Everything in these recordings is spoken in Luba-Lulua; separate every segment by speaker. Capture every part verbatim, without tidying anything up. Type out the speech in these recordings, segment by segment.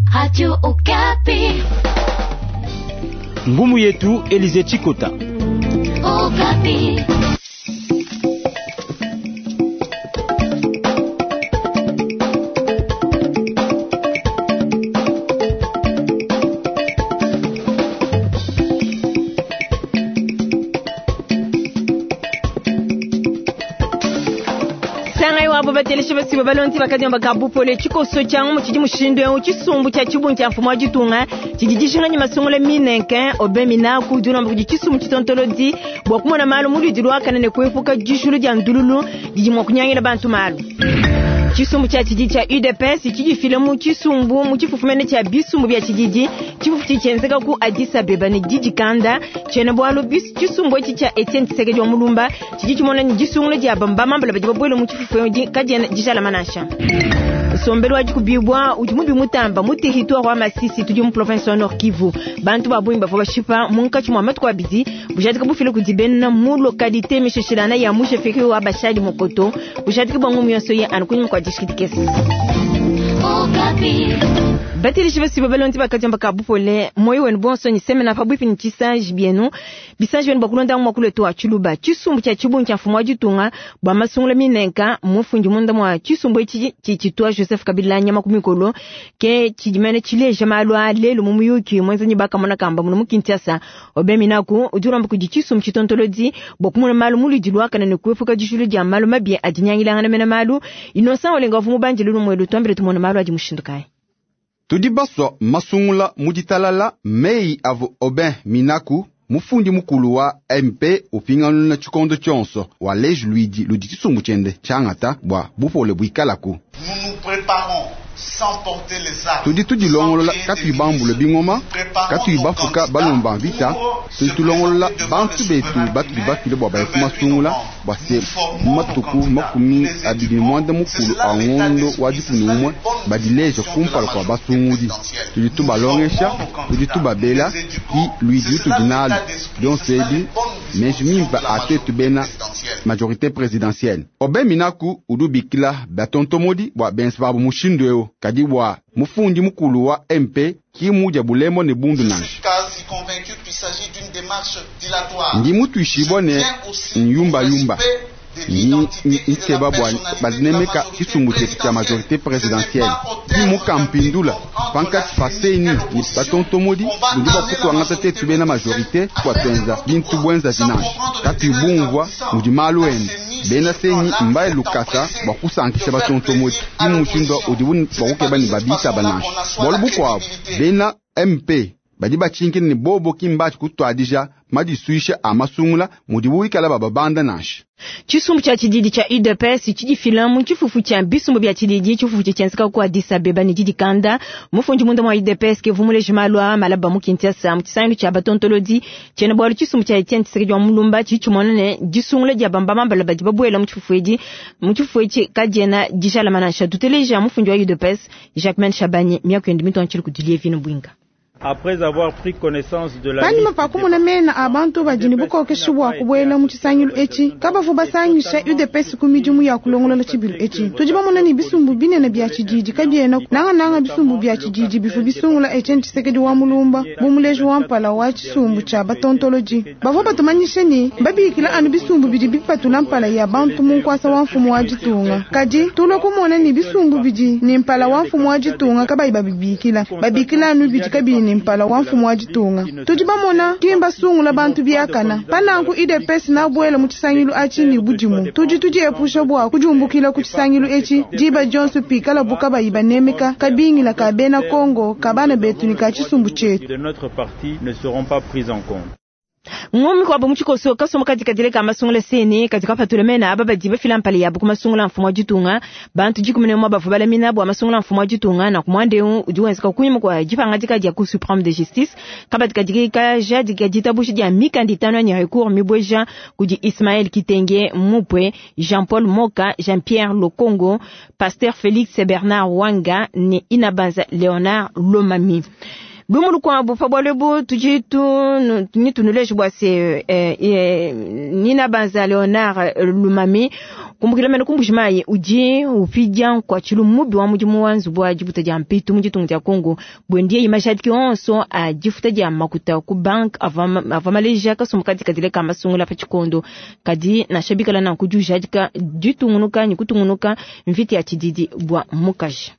Speaker 1: Radio Okapi.
Speaker 2: Ngumu yetu Elize Chikota.
Speaker 1: Okapi.
Speaker 3: Sangai wabo bateleshe basiba balonzi bakadiomba kabupole tshikoso tshia ngumu tshidi mushindu eu tshisumbu tshia tshibungi tshia mfumu wa ditunga tshidi dijinga masungula minenke obe minaku dilomba kudi tshisumbu tshitontolodi bua kumona malu muludi luakane ne kuepuka dijulu dia ndululu didi mua kunyangila bantu malu. Tshisumbu tshia tshididi tshia U D P S tshidifile mu tshisumbu mu tshifufumene tshia bisumbu bia tshididi tshifufu tshitshienzeka ku Addis Abeba ne didikanda tshiena bualu tshisumbu etshi tshia Etienne Tshisekedi wa Mulumba tshidi tshimona ne disungula dia bambamambala badi babuele mu tshifufu kadiena dijalama nansha. Nsombelu wa dikubibwa udi mubi mutamba mu territoire wa Masisi tudi mu province wa Nord Kivu. Bantu ba bungi bavua bashipa munkatshi mua matuku abidi bujadika bufile kudi bena mu localité mishishilana ya mu chefferie wa Bashali Mokoto bujadika bwa ngumu yonso ye anu kunyima kua distrikiti kesi. Batilishi basiba balonzi bakadiomba kabupole moyo wenu bonso ni semena pabuipi ni tshisanji bienu bisanji bienu bakulonda mwa kuletu wa tshiluba tshisumbu tshia tshibungi tshia mfumu wa ditunga bua masungula minenka mufundi munda mwa tshisumbu etshi tshitshitwa Joseph Kabila nyama ku mikolo ke tshidimene tshileja malu a lelu mu muyuki mwenzanyi bakamona kamba muno mu Kinshasa obe minaku udi ulomba kudi tshisumbu tshitontolodi bua kumona malu muludi luakane ne kuepuka dijulu dia malu mabi adinyangilangana mena malu Innocent Olenga wa mubandi lulu mwelu tuambile tumona malu adi mushindu kayi.
Speaker 4: Tudi baswa masungula muditalala mei avu Aubin Minaku mufundi mukulu wa M P upingana na tshikondo tshionso wa leju luidi ludi tshisumbu tshiende tshiangata bua bupole buikalaku.
Speaker 5: Nous nous préparons sans porter les armes.
Speaker 4: Tudi tudilongolola katui bambule bingoma katui bafuka balomba mvita tudi tulongolola bantu betu batu bibafile bua baye kumasungula bua se matuku makumi abidi mwanda mukulu a ngondo wa dikumi umwe badileja kumpala kua basungudi. Tudi tubalongesha tudi tubabela ki luidi tudi nalu bionso ebi meji mimpe atetu bena majorité présidentielle. Aubin Minaku udi ubikila batontomodi bua bense babu mushindu eu kadi bua mufundi mukulu wa M P ki mudia bulemo ne bundu nansha. Ndi mutuishibwa ne nyumba yumba ni nkeba bua banemeka tshisumbu tshietu tshia majorité présidentielle ki mukampindula pankatshi pa seni ni batontomodi budi bakutuangata tetu bena majorité bua tuenza bintu bwenza vinange katui bumvua mudi malu ende bena seni mbaye lukasa bua kusankisha batontomodi ki mushindu udibu bakukeba ne babita banansha bualu bukuabu bena M P badi batshinkile ne bobo ki mbatshi kutuadija madisuisha a masungula mudibu wikala bababanda nansha.
Speaker 3: Tshisumbu tshia tshididi tshia U D P S tshidifila mu tshifufu tshia bisumbu bia tshididi tshifufu tshienzeka ku Addis Abeba ne didikanda mufundi munda mwa U D P S ke vumuleje malu a malaba mu Kinshasa mu tshisangilu tshia batontolodi tshiena bualu tshisumbu tshia Etienne Tshisekedi wa Mulumba tshitshimona ne disungula dia bambamambala badi babuela mu tshifufu edi mu tshifufu etshi kadiena dijalama nansha. Tuteleja mufundi wa U D P S Jacquemain Shabani miaku yende mitontshili kudilie vino bwinga.
Speaker 6: Après avoir pris connaissance de la
Speaker 7: Panyima pa kumona mena abantu badi ne bukokeshi bua kubuela mu tshisangilu etshi kabavu basangisha U D P S ku midimu ya kulongolola tshibilu etshi tudi bamona ne bisumbu binene bia tshididi kabiena nangananga bisumbu bia tshididi bifu bisungula Etienne Tshisekedi wa Mulumba bu muleji wa mpala wa tshisumbu tshia batontoloji bavua batumanyishe ne babikila anu bisumbu bidi bipatula mpala ya bantu mu nkuasa wa mfumu wa ditunga kadi tulua kumona ne bisumbu bidi ne mpala wa mfumu wa ditunga kabayi babibikila babikila anu bidi kabiyi ne mpala wa mfumu wa ditunga tudi bamona kimba sungula bantu biakana pananku U D P S nabuela mu tshisangilu atshi ne budimu tudi tudiepusha bua kudiumbukila ku tshisangilu etshi diba dionso pikala buka bayi banemeka kabingila ka bena Kongo ka bana betu ne ka tshisumbu tshietu.
Speaker 6: De notre parti ne seront pas prises en compte.
Speaker 3: Ngumi kwa bomu chikoso kasomo katika dile kama sungula seni katika patule mena aba badi bafila mpale ya buku masungula mfumo wa ditunga bantu dikumi ne mwa bavu bala mina bwa masungula mfumo wa ditunga na kumwande udi wenzeka kunyima kwa jipanga dika dia Cour suprême de justice kabatika dika ja dika ditabushi dia mikanda itano ya recours mibweja kudi Ismaël Kitenge Mupwe Jean-Paul Moka Jean-Pierre Lokongo Pasteur Félix Bernard Wanga ne Inabaza Léonard Lomami. Lumu lukuabu pa bualu ebu tudi tunuleje bua se eh, eh, Nina Banza Leonard Lumami kumbukila mene kumbujimayi udi upidia nkuatshilu mubi wa mudimu wa nzubu wa dibuta dia mpitu mu ditunga dia Kongo bwendiye imajadiki onso a difuta dia makuta ku bank ava maleja kasumbu kadikadile ka masungula pa tshikondo kadi nansha bikala nanku diujadika ditungunuka ne kutungunuka mvita ya tshididi bua mukaji.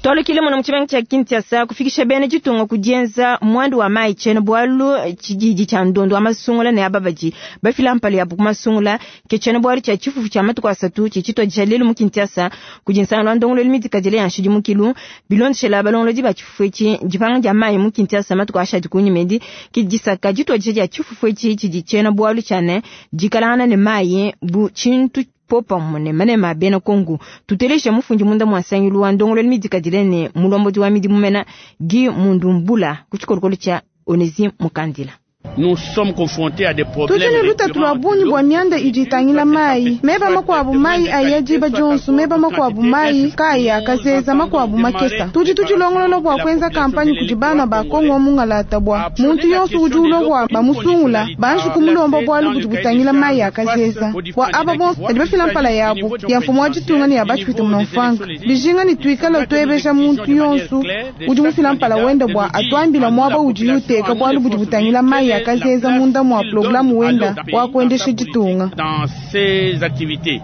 Speaker 3: Twalukile muno mu tshimenga tshia Kinshasa kufikisha bena ditunga kudienza mwandu wa mai tshena bualu tshididi tshia ndondo wa masungula ne ababadi bafila mpala yabu ku masungula ke tshena bualu tshia tshifufu tshia matuku asatu tshitshituadija lelu mu Kinshasa kudi nsangano wa ndongoluelu midikadile ya nshidimukilu bilondeshela balongolodi ba tshifufu etshi dipanga dia mai mu Kinshasa matuku ashadi kunyima edi ke disaka dituadija dia tshifufu etshi tshidi tshena bualu tshia ne dikalangana ne mai bu tshintu popa mune manema bena Kongo tuteleje mufundi munda mwasangilu wa ndongolelo midikadile ne mulombodi wa midimu mena Guy Mundumbula ku tshikolokolo tshia Onésime Mukandila.
Speaker 2: Nous sommes confrontés à des problèmes.
Speaker 7: Tudi ne lutatu lua bungi bua mianda idi itangila mai meba makuabu mai ayadiba jonso meba makuabu mai kaya akazeza makuabu makesa tudi tudilongolola bua kuenza kampanye kudi bana ba Kongo mungalata bua muntu yonso udi ulobwa bamusungula banji kumulomba bualu budi butangila mai akazeza bua aba bonso badi bafila mpala yabo ya mfumu wa ditunga ne ya bafite munamfanga bijinga ne tuikala tuebesha muntu yonso udi mufila mpala wenda bua atuambila muaba udi yuteka bualu budi butangila mai akazeza munda mwa programu wenda wa kuendesha ditunga.
Speaker 2: Dans ces activités.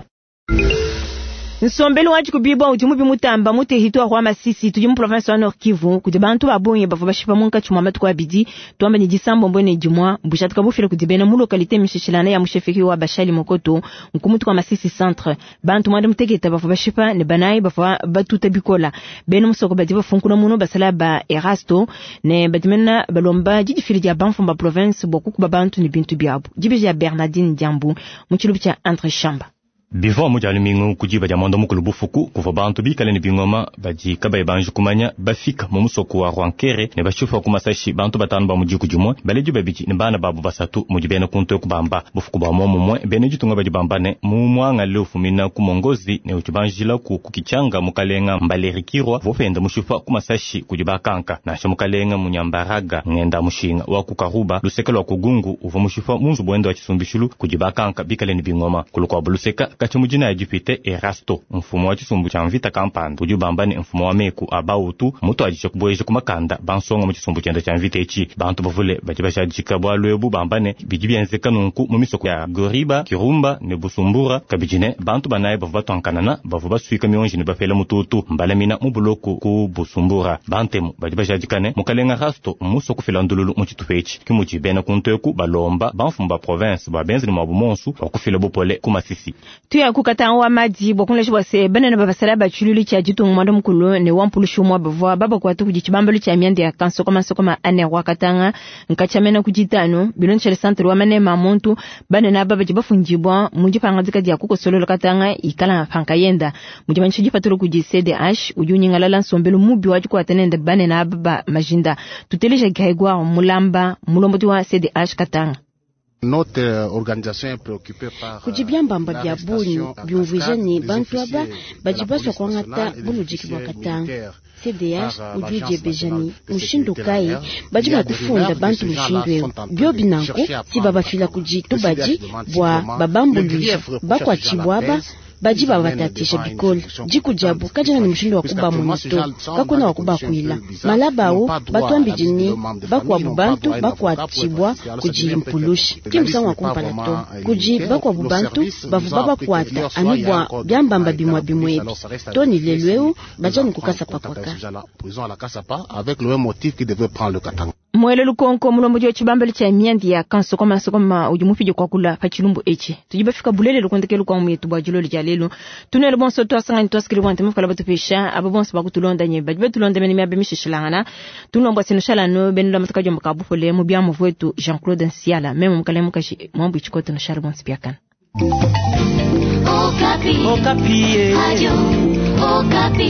Speaker 3: Nsombelu waji kubibwa udi mubi mutamba mu territoire wa Masisi tudi mu province wa Nord Kivu kudi bantu babonye bavua bashipa munkatshi mua matuku abidi tuamba ne disambombo ne dimua bushatuka bufile kudi bena mu localité mishishilana ya mushefeki wa Bashali Mokoto nkumutu kwa Masisi centre bantu mwanda muteketa bavua bashipa ne banayi bavua batuta bikola bena musoko badi bafunkuna muno basala ba Erasto ne badimena balomba didifili dia banfumba province bua kukuba bantu ne bintu biabu dibiji ya Bernardine Diambu mu tshilubu tshia Andre Shamba.
Speaker 8: Bivua mu dia lumingu kudiba dia mwanda mukulu bufuku kuvua bantu bikale ne bingoma badi kabayi banji kumanya bafika mu musoko wa Rwankere ne bashifa ku masashi bantu batanu ba mu diku dimue baledi babidi ne bana babu basatu mudi bena kuntu kubamba bufuku bua momumue bena ditunga badi bamba ne mu mwanga leo fumina ku mongozi ne uchibanjila ku kukichanga mukalenga Mbalerikirwa vopenda mushifa ku masashi kudi bakanka nansha mukalenga munyambaraga ngenda mushinga wa kukaruba luseka lwa kugungu uvua mushifa munzu bwenda wa chisumbishulu kudi bakanka bikale ne bingoma kulukwa buluseka kachimujina ya dipite Erasto mfumo wa chisumbu cha mvita kampanda udi ubamba ne mfumo wa meku abautu mutu adisha kuboyeja kumakanda bansonga mu chisumbu chenda cha mvita echi bantu bavule badi bashadika bwalu ebu bamba ne bidi bienzeka nunku mu misoko ya Goriba Kirumba ne Busumbura kabidi ne bantu banayi bavua batwankanana bavua basuika mionji ne bafela mututu mbalamina mu buloku ku Busumbura bantemu badi bashadika ne mukalenga Rasto muso kufila ndululu mu tshitupa etshi kimudi bena kunteku balomba bamfumu ba province ba benzeli mwabu monsu wakufila bupole ku Masisi.
Speaker 3: Tuya kukata wa madi bwa bwa se banana babasala bachululu cha ditunga mwanda mukulu ne wampulushu mwa bavua baba kwa tu kujibambalo cha mianda ya kanso kama sokoma ane wakatanga nkachamena kujitano bilonchele centre wa mane mamuntu banana baba jibafunjibwa mujipanga dika dia kukosololo katanga ikala panka yenda mujimanchi jipatulu kuji C D H ujunyingalala nsombelo mubi wa jikwa tenende banana baba majinda tuteleja gaigwa mulamba mulomboti wa C D H katanga.
Speaker 9: Notre organisation est préoccupée par
Speaker 10: kujibyambamba bya bunyu byumvije ni bantu aba bajibaswa kwangata bulujiki bwa katanga C D H ujuje bejani mushindu kai baji kufunda bantu mushindu ewu byo binanku si babafila kuji tubaji bwa babambuluja bakwachibwaba baji babatatisha bikoli jikujabu kajana ni mushindu wa kuba monito kakuna wa kuba kuila malabawo batwambijini bakwabu bantu bakwatibwa kujimpulushi kimsango wa kumpala to kuji bakwabu bantu bavuba bakwata anubwa byambamba bimwa bimwebi to ni lelweu bajani kukasa pakwaka
Speaker 9: avec le même motif qui devait prendre le Katanga.
Speaker 3: Mwele lukonko mulombo wa chibambalo cha miandi ya kanso koma sokoma udi mufije kwa kula pa chilumbu echi tujibafika bulele lukontekelu kwa mwetu bwa jilolo ja lelo tunele bonso twasanga twasikili bwante mufukala batupesha abo bonso bakutulonda nye bajibe tulonda mene miabe mishishilangana tunomba sinoshala no benula matuka jomba kabupole mu bya muvwetu Jean-Claude Nsiala meme mukale mukashi mwambu chikoto no shara bonso byakana.
Speaker 1: Okapi. Okapi. Radio Okapi.